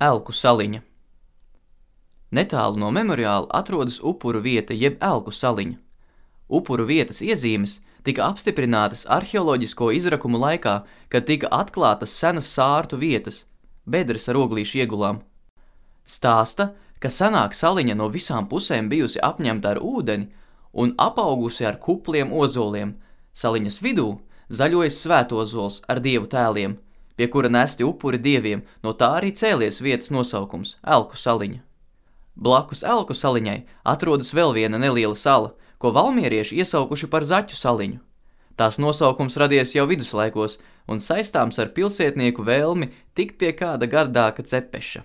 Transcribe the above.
Elku saliņa. Netālu no memoriāla atrodas upuru vieta jeb Elku saliņa. Upuru vietas iezīmes tika apstiprinātas arheoloģisko izrakumu laikā, kad tika atklātas senas sārtu vietas, bedres ar oglīšu iegulām. Stāsta, ka senāk saliņa no visām pusēm bijusi apņemta ar ūdeni un apaugusi ar kupliem ozoliem. Saliņas vidū zaļojas svētozols ar dievu tēliem, pie kura nesti upuri dieviem, no tā arī cēlies vietas nosaukums – Elku saliņa. Blakus Elku saliņai atrodas vēl viena neliela sala, ko valmierieši iesaukuši par Zaķu saliņu. Tās nosaukums radies jau viduslaikos un saistāms ar pilsētnieku vēlmi tikt pie kāda gardāka cepeša.